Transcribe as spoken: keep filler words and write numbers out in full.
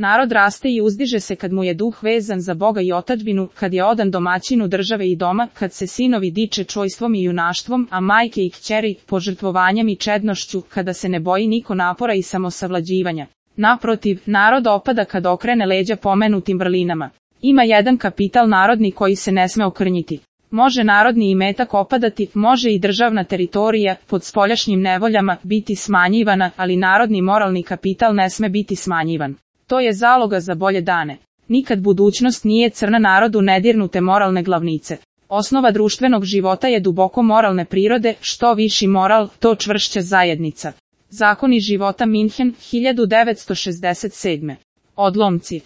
Narod raste i uzdiže se kad mu je duh vezan za Boga i otadžbinu, kad je odan domaćinu države i doma, kad se sinovi diče čojstvom i junaštvom, a majke i kćeri požrtvovanjem i čednošću, kada se ne boji niko napora i samosavlađivanja. Naprotiv, narod opada kad okrene leđa pomenutim vrlinama. Ima jedan kapital narodni koji se ne sme okrnjiti. Može narodni imetak opadati, može i državna teritorija, pod spoljašnjim nevoljama, biti smanjivana, ali narodni moralni kapital ne sme biti smanjivan. To je zaloga za bolje dane. Nikad budućnost nije crna narodu nedirnute moralne glavnice. Osnova društvenog života je duboko moralne prirode, što viši moral, to čvršća zajednica. Zakoni života Minhen, hiljadu devetsto šezdeset sedme. Odlomci.